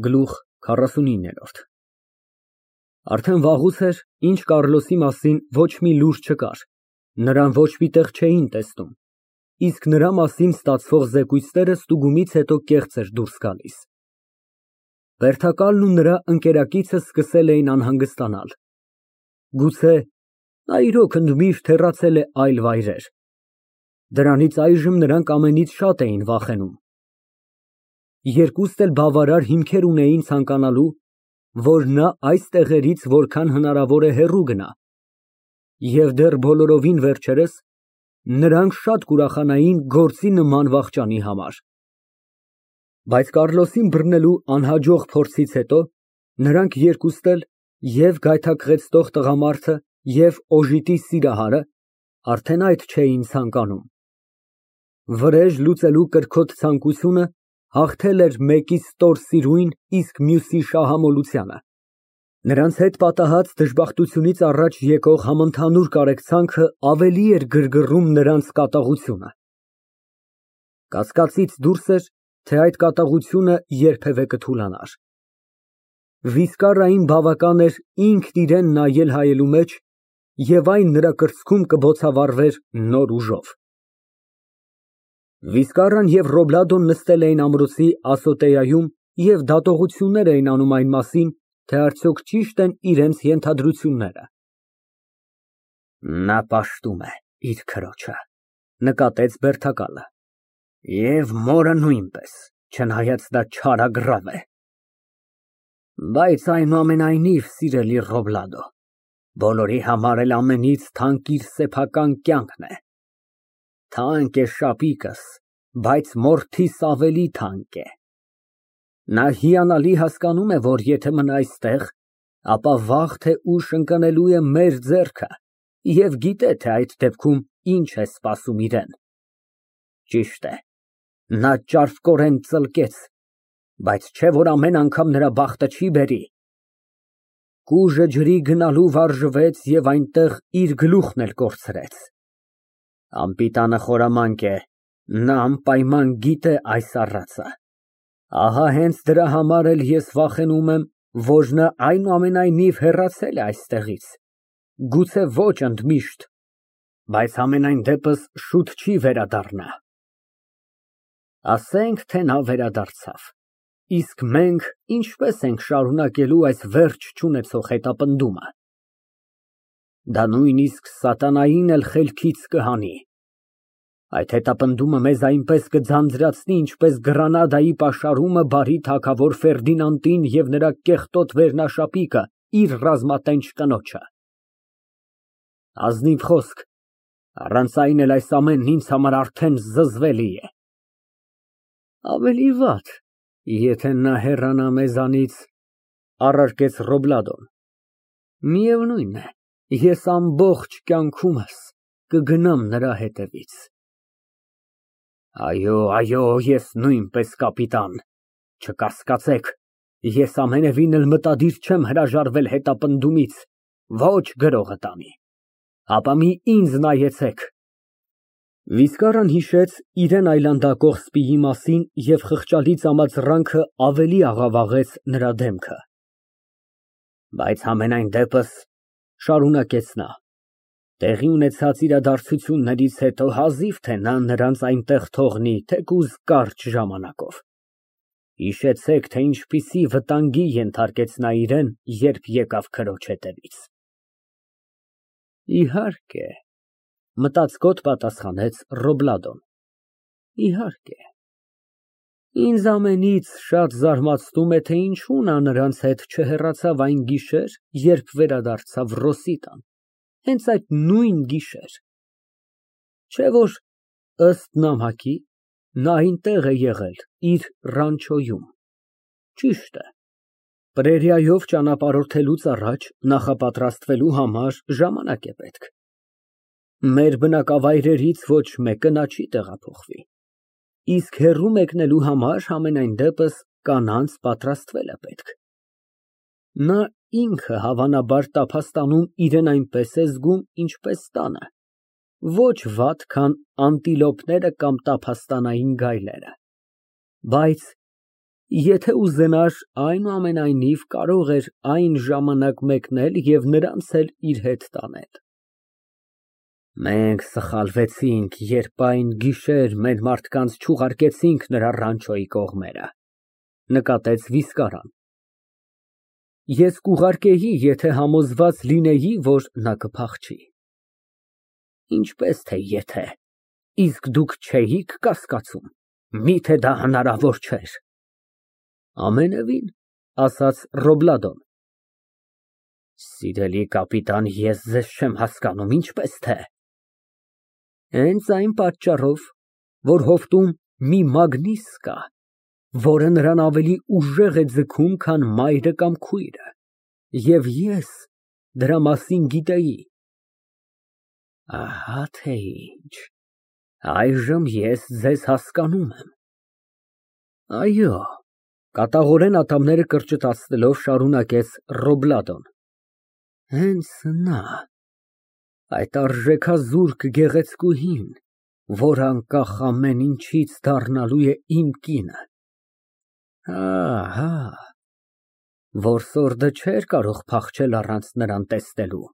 Գլուխ 49 Արդեն վաղուց էր, ինչ Կառլոսի մասին ոչ մի լուր չկար, նրան ոչ մի տեղ չէին տեսնում, իսկ նրա մասին ստացվող զեկույցները ստուգումից հետո կեղծ էր դուրս գալիս։ Բերդակալն ու նրա ընկերակիցը սկսել էին անհանգստանալ։ Գուցե նա իրոք ընդմիշտ հեռացել է այլ վայրեր։ Դրանից այժմ նրանք ամենից շատ էին վախենում։ Երկուստ էլ բավարար հիմքեր ունեին ցանկանալու, որ նա այս տեղերից որքան հնարավոր է հեռու գնա, և դեռ բոլորովին վերջերս նրանք շատ կուրախանային գործի նման վախճանի համար։ Բայց Կառլոսին բռնելու անհաջող փորձից հետո նրանք երկուստ էլ, և գայթակղեցնող տղամարդը, և օժիտի սիրահարը, արդեն այդ չէին ցանկանում։ Վրեժ լուծելու կրքոտ ցանկությունը հաղթել էր մեկի ստորսիրուն, իսկ մյուսի շահամոլությանը։ Նրանց հետ պատահած դժբախտությունից առաջ եկող համընդհանուր կարեկցանքը ավելի էր գրգռում նրանց կատաղությունը։ Կասկածից դուրս էր, թե այդ կատաղությունը երբևէ կթուլանար։ Վիսկարային բավական էր ինքն իրան նայել հայելու մեջ, և այն նրա կրծքում կբոցավառվեր նոր ուժով։ Վիսկարան և Ռոբլադոն նստել էին ամրոցի ասոտեայում և դատողություններ էին անում այն մասին, թե արդյոք ճի՞շտ են իրենց ենթադրությունները։ Նա պաշտում է իր քրոջը, նկատեց Բերդակալը, և մորը նույնպես, չնայած նա չարագրավ է։ Բայց այնուամենայնիվ, սիրելի Ռոբլադո, բոլորի համար էլ ամենից թանկ իր սեփական կյանքն է։ Թանկ է շապիկս, բայց մորթիս ավելի թանկ է։ Նա հիանալի հասկանում է, որ եթե մնա այստեղ, ապա վաղ թե ուշ ընկնելու է մեր ձեռքը և գիտե, թե այդ դեպքում ինչ է սպասում իրան։ Ճիշտ է, նա ճարպկորեն ծլկեց, բայց չէ՞ որ ամեն անգամ նրա բախտը չի բերի։ Կուժը ջրի գնալու վարժվեց և այնտեղ իր գլուխն էլ կորցրեց։ Անպիտանը խորամանկ է, նա անպայման գիտե այս առածը։ Ահա հենց դրա համար էլ ես վախենում եմ, որ նա այնուամենայնիվ հեռացել է այստեղից, գուցե ոչ ընդմիշտ, բայց համենայն դեպս շուտ չի վերադառնա։ Ասենք, թե նա վերադարձավ, իսկ մենք ինչպե՞ս ենք շարունակելու այս վերջ չունեցող հետապնդումը։ Դա նույնիսկ սատանային էլ խելքից կհանի։ Այդ հետապնդումը մեզ այնպես կձանձրացնի, ինչպես Գրանադայի պաշարումը բարի թագավոր Ֆերդինանդին և նրա կեղտոտ վերնաշապիկը իր ռազմատենչ կնոջը։ Ազնիվ խոսք, առանց այն էլ այս ամենն ինձ համար արդեն զզվելի է։ Ավելի վատ, եթե նա հեռանա մեզանից, առարկեց Ռոբլադոն։ Միևնույն է, ես ամբողջ կյանքումս կգնամ նրա հետևից։ Այո, այո, ես նույնպես, կապիտան, չկասկածեք, ես ամենևին էլ մտադիր չեմ հրաժարվել հետապնդումից, ոչ գրողը տանի, ապա մի ինձ նայեցեք։ Վիսկարան հիշեց իրան այլանդակող սպիի մասին և խղճալի ծամածռանքը ավելի աղավաղեց նրա դեմքը։ Բայց համենայն դեպս, շարունակեց նա, տեղի ունեցած իրադարձություններից հետո հազիվ թե նա նրանց այնտեղ թողնի, թեկուզ կարճ ժամանակով։ Հիշեցեք, թե ինչպիսի վտանգի ենթարկեց նա իրան, երբ եկավ քրոջ հետևից։ Իհարկե, մտածկոտ պատասխանեց Ռոբլադոն, իհարկե։ Ինձ ամենից շատ զարմացնում է, թե ինչու նա նրանց հետ չհեռացավ այն գիշեր, երբ վերադարձավ Ռոսի տան, հենց այդ նույն գիշեր։ Չէ՞ որ, ըստ նամակի, նա այնտեղ է եղել իր ռանչոյում։ Ճիշտ է, պրերիայով ճանապարհորդելուց առաջ նախապատրաստվելու համար ժամանակ է պետք։ Մեր բնակավայրերից ոչ մեկը նա չի տեղափոխվի, իսկ հեռու մեկնելու համար համենայն դեպս կանանց պատրաստվել է պետք։ Նա ինքը հավանաբար տափաստանում իրան այնպես է զգում, ինչպես տանը, ոչ վատ, քան անտիլոպները կամ տափաստանային գայլերը։ Բայց Եթե ուզենար, այնուամենայնիվ կարող էր այն ժամանակ մեկնել և նրանց էլ իր հետ տանել։ Մենք սխալվեցինք, երբ այն գիշեր մեր մարդկանց չուղարկեցինք նրա ռանչոյի կողմերը, նկատեց Վիսկարան։ Ես կուղարկեի, եթե համոզված լինեի, որ նա կփախչի։ Ինչպես թե եթե, իսկ դուք չէիք կասկածում, միթե դա հնարավոր չէր։ Ամենևին, ասաց Ռոբլադոն։ Սիրելի կապիտան, ես ձեզ չեմ հասկանում, ինչպես թե։ Հենց այն պատճառով, որ հովտում մի մագնիս կա, որը նրան ավելի ուժեղ է ձգում, քան մայրը կամ քույրը, և ես դրա մասին գիտեի։ Ահա թե ինչ, այժմ ես ձեզ հասկանում եմ։ Այո, կատաղորեն ատամները կրճտացնելով շարունակեց Ռոբլադոն։ Հենց նա, այդ արժեքազուրկ գեղեցկուհին, որ անկախ ամեն ինչից դառնալու է իմ կինը։ Ահա, որսորդը չէր կարող փախչել առանց նրան տեսնելու։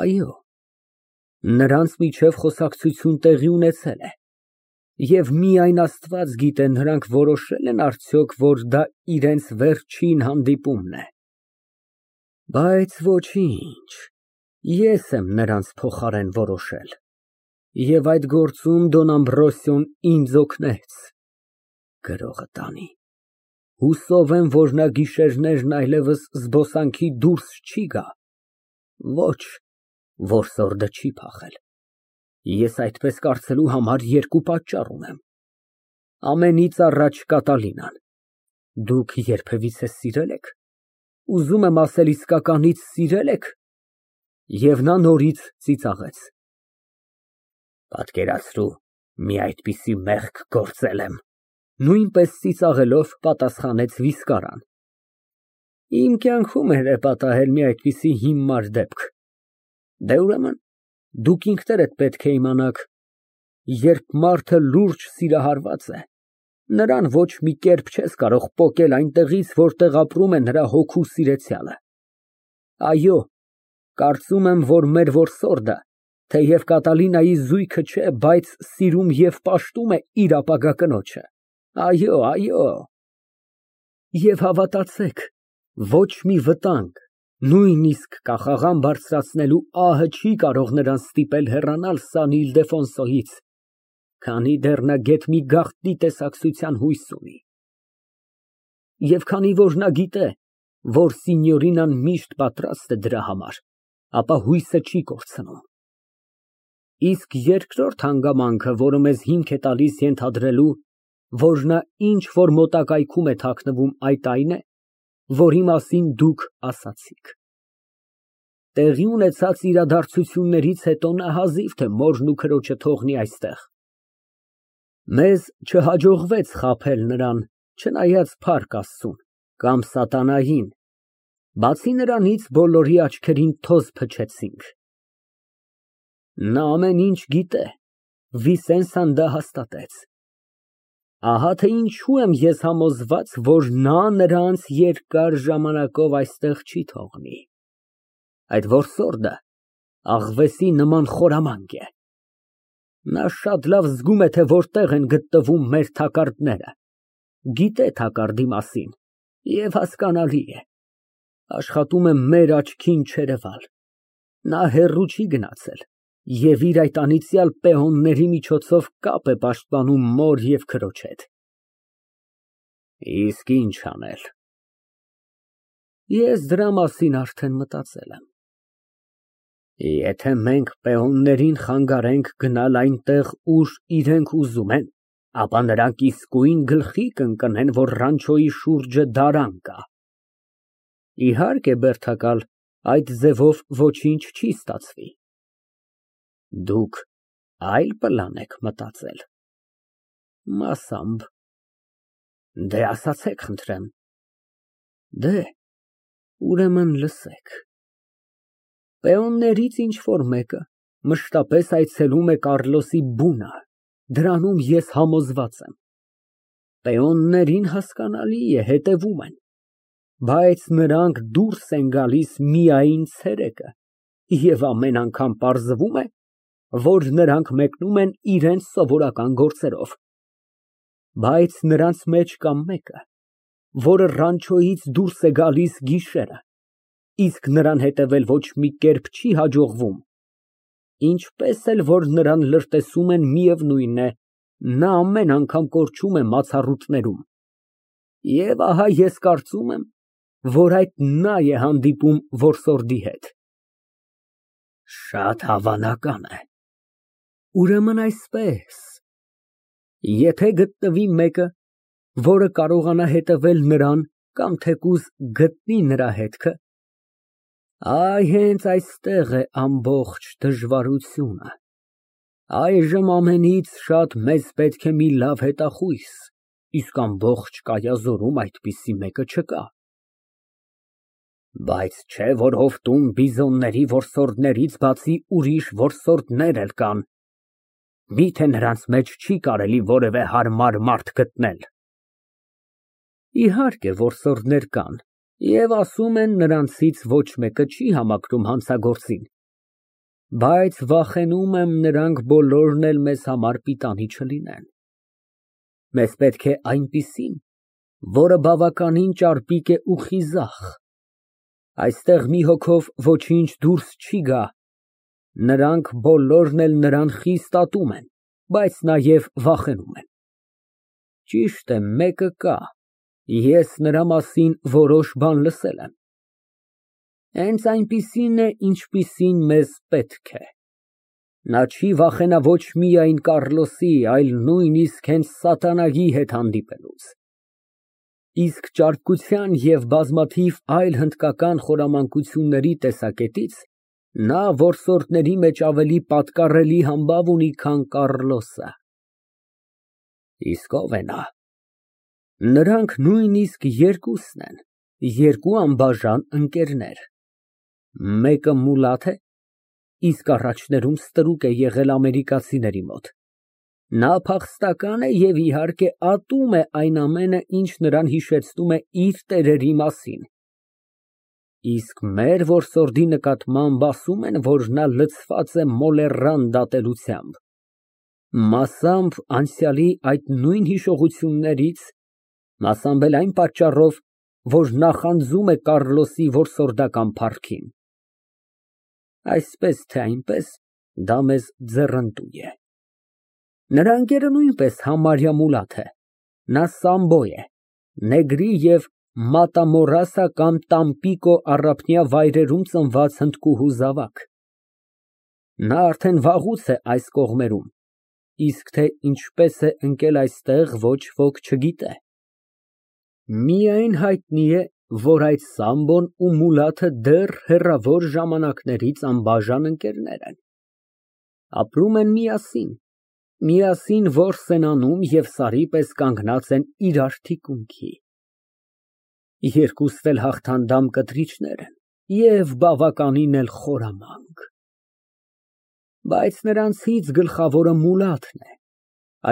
Այո, նրանց միջև խոսակցություն տեղի ունեցել է, և միայն Աստված գիտե, նրանք որոշե՞լ են արդյոք, որ դա իրենց վերջին հանդիպումն է։ Բայց ոչինչ, ես եմ նրանց փոխարեն որոշել, և այդ գործում Դոն Ամբրոսիոն ինձ օգնեց։ Գրողը տանի։ Հուսով եմ, որ նա գիշերներն այլևս զբոսանքի դուրս չի գա։ Ոչ, որսորդը չի փախել։ Ես այդպես կարծելու համար երկու պատճառ ունեմ։ Ամենից առաջ Կատալինան։ Դուք երբևիցե սիրե՞լ եք։ Ուզում եմ ասել, իսկականից սիրե՞լ եք։ Եվ նա նորից ծիծաղեց։ Պատկերացրու, մի այդպիսի մեղք գործել եմ։ Նույնպես ծիծաղելով պատասխանեց Վիսկարան։ Իմ կյանքում էլ է պատահել մի այդպիսի հիմար դեպք։ Դե ուրեմն, դուք ինքներդ պետք է իմանաք, երբ մարդը լուրջ սիրահարված է, նրան ոչ մի կերպ չես կարող պոկել այնտեղից, որտեղ ապրում է նրա հոգու սիրեցյալը։ Այո, կարծում եմ, որ մեր որսորդը, թեև Կատալինայի զույգը չէ, բայց սիրում և պաշտում է իր ապագա կնոջը։ Այո, այո։ Եվ հավատացեք, ոչ մի վտանգ, նույնիսկ կախաղան բարձրացնելու ահը չի կարող նրան ստիպել հեռանալ Սան Իլդեֆոնսոյից, քանի դեռ նա գեթ մի գաղտնի տեսակցության հույս ունի։ Եվ քանի որ նա գիտե, որ Սինյորինան միշտ պատրաստ է դրա համար, ապա հույսը չի կորցնում։ Իսկ երկրորդ հանգամանքը, որը մեզ հիմք է տալիս ենթադրելու, որ նա ինչ֊որ մոտակայքում է թաքնվում, այդ այն է, որի մասին դուք ասացիք։ Տեղի ունեցած իրադարձություններից հետո նա հազիվ թե մորն ու քրոջը թողնի այստեղ։ Մեզ չհաջողվեց խաբել նրան, չնայած Փառք Աստծուն, կամ սատանային, բացի նրանից բոլորի աչքերին թոզ փչեցինք։ Նա ամեն ինչ գիտե, Վիսենսան դա հաստատեց։ Ահա թե ինչու եմ ես համոզված, որ նա նրանց երկար ժամանակով այստեղ չի թողնի։ Այդ որսորդը աղվեսի նման խորամանկ է։ Նա շատ լավ զգում է, թե որտեղ են գտնվում մեր թակարդները, գիտե թակարդի մասին և հասկանալի է, աշխատում է մեր աչքին չերևալ։ Նա հեռու չի գնացել և իր այդ անիծյալ պեոնների միջոցով կապ է պաշտպանում մոր և քրոջ հետ։ Իսկ ինչ անել։ Ես դրա մասին արդեն մտածել եմ։ Եթե մենք պեոններին խանգարենք գնալ այնտեղ, ուր իրենք ուզում են, ապա նրանք իսկույն գլխի կընկնեն, որ ռանչոյի շուրջը դարան կա։ Իհարկե, բերդակալ, այդ ձևով ոչինչ չի ստացվի։ Դուք այլ պլան եք մտածել։ Մասամբ։ Դե ասացեք, խնդրեմ։ Դե, ուրեմն լսեք։ Պեոններից ինչ֊որ մեկը մշտապես այցելում է Կառլոսի բունը, դրանում ես համոզված եմ։ Պեոններին հասկանալի է, հետևում են, բայց նրանք դուրս են գալիս միայն ցերեկը, և ամեն անգամ պարզվում է, որ նրանք մեկնում են իրենց սովորական գործերով, բայց նրանց մեջ կա մեկը, որը ռանչոյից դուրս է գալիս գիշերը, իսկ նրան հետևել ոչ մի կերպ չի հաջողվում, ինչպես էլ որ նրան լրտեսում են, միևնույն է, նա ամեն անգամ կորչում է մացառուտներում, և ահա ես կարծում եմ, որ այդ նա է հանդիպում որսորդի հետ։ Շատ հավանական է։ Ուրեմն այսպես, եթե գտնվի մեկը, որը կարողանա հետևել նրան կամ թեկուզ գտնի նրա հետքը, այ հենց այստեղ է ամբողջ դժվարությունը։ Այժմ ամենից շատ մեզ պետք է մի լավ հետախույս, իսկ ամբողջ Կայազորում այդպիսի մեկը չկա։ Բայց չէ՞ որ հովտում բիզոնների որսորդներից բացի ուրիշ որսորդներ էլ կան, միթե նրանց մեջ չի կարելի որևէ հարմար մարդ գտնել։ Իհարկե, որսորդներ կան, և ասում են, նրանցից ոչ մեկը չի համակրում հանցագործին, բայց վախենում եմ նրանք բոլորն էլ մեզ համար պիտանի չլինեն։ Մեզ պետք է այնպիսին, որը բավականին ճարպիկ է ու խիզախ, այստեղ մի հոգով ոչինչ դուրս չի գա, նրանք բոլորն էլ նրան խիստ ատում են, բայց նաև վախենում են։ Ճիշտ է, մեկը կա, ես նրա մասին որոշ բան լսել եմ։ Հենց այնպիսին է, ինչպիսին մեզ պետք է։ Նա չի վախենա ոչ միայն Կառլոսի, այլ նույնիսկ հենց սատանայի հետ հանդիպելուց։ Իսկ ճարպկության և բազմաթիվ այլ հնդկական խորամանկությունների տեսակետից նա որսորդների մեջ ավելի պատկառելի համբավ ունի, քան Կառլոսը։ Իսկ ո՞վ է նա։ Նրանք նույնիսկ երկուսն են, երկու անբաժան ընկերներ։ Մեկը մուլաթ է, իսկ առաջներում ստրուկ է եղել ամերիկացիների մոտ։ Նա փախստական է և իհարկե ատում է այն ամենը, ինչ նրան հիշեցնում է իր տերերի մասին։ Իսկ մեր որսորդի նկատմամբ ասում են, որ նա լցված է մոլեռան դատելությամբ, մասամբ անցյալի այդ նույն հիշողություններից, մասամբ էլ այն պատճառով, որ նախանձում է Կառլոսի որսորդական փառքին։ Այսպես թե այնպես, դա մեզ ձեռնտու է։ Նրա ընկերը նույնպես համարյա մուլաթ է, նա Սամբո է, Նեգրի և Մատամորասա կամ Տամպիկո առափնյա վայրերում ծնված հնդկուհու զավակ։ Նա արդեն վաղուց է այս կողմերում, իսկ թե ինչպես է ընկել այստեղ, ոչ ոք չգիտե։ Միայն հայտնի է, որ այդ Սամբոն ու մուլաթը դեռ հեռավոր ժամանակներից անբաժան ընկերներ են։ Ապրում են միասին որս են անում և սարի պես կանգնած են իրար թիկունքի։ Երկուստ էլ հաղթանդամ կտրիչներ են և բավականին էլ խորամանկ։ Բայց նրանցից գլխավորը մուլաթն է,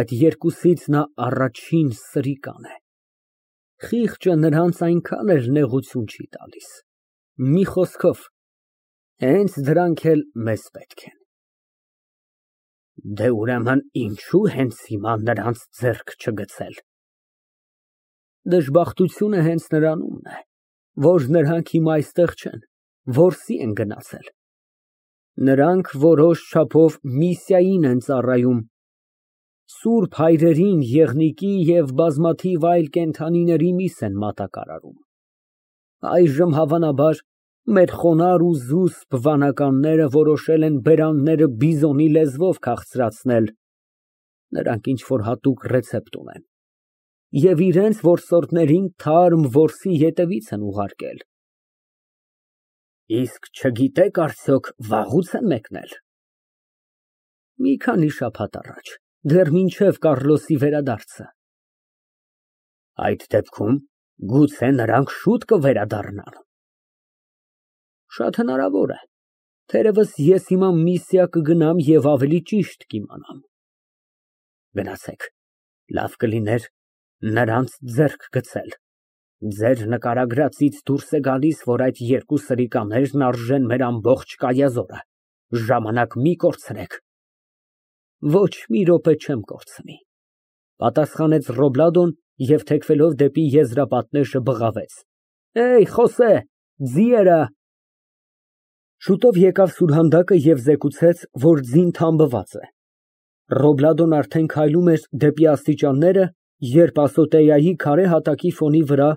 այդ երկուսից նա առաջին սրիկան է։ Խիղճը նրանց այնքան էլ նեղություն չի տալիս։ Մի խոսքով, հենց դրանք էլ մեզ պետք են։ Դե ուրեմն ինչո՞ւ հենց հիմա նրանց ձեռք չգցել։ Դժբախտությունը հենց նրանումն է, որ նրանք հիմա այստեղ չեն, որսի են գնացել։ Նրանք որոշ չափով միսիային են ծառայում, սուրբ հայրերին, եղնիկի և բազմաթիվ այլ կենդանիների միս են մատակարարում։ Այժմ հավանաբար մեր խոնարհ ու զուսպ վանականները որոշել են բերանները բիզոնի լեզվով քաղցրացնել, նրանք ինչ֊որ հատուկ ռեցեպտ ունեն, և իրենց որսորդներին թարմ որսի ետևից են ուղարկել։ Իսկ չգիտեք արդյոք վաղուց են մեկնել։ Մի քանի շաբաթ առաջ, դեռ մինչև Կառլոսի վերադարձը։ Այդ դեպքում գուցե նրանք շուտ կվերադառնան։ Շատ հնարավոր է, թերևս ես հիմա միսիա կգնամ և ավելի ճիշտ կիմանամ։ Գնացեք, լավ կլիներ, նրանց ձեռք գցել։ Ձեր նկարագրածից դուրս է գալիս, որ այդ երկու սրիկաներն արժեն մեր ամբողջ կայազորը, ժամանակ մի կորցրեք։ Ոչ մի րոպե չեմ կորցնի, պատասխանեց Ռոբլադոն և թեքվելով դեպի եզրապատնեշը բղավեց. Խոսե, ձիերը։ Շուտով եկավ սուրհանդակը և զեկուցեց, որ ձին թամբված է։ Ռոբլադոն արդեն քայլում էր դեպի աստիճանները, երբ ասոտեայի քարե հատակի ֆոնի վրա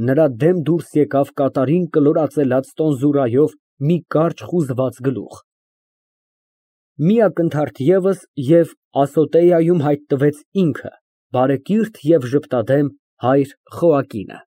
նրա դեմ դուրս եկավ կատարին կլորածելաց տոնզուրայով մի կարճ խուզված գլուխ։ Մի ակնթարթ ևս, և ասոտեայում հայտնվեց ինքը, բարեկիրթ և ժպտադեմ հայր Խոակինը։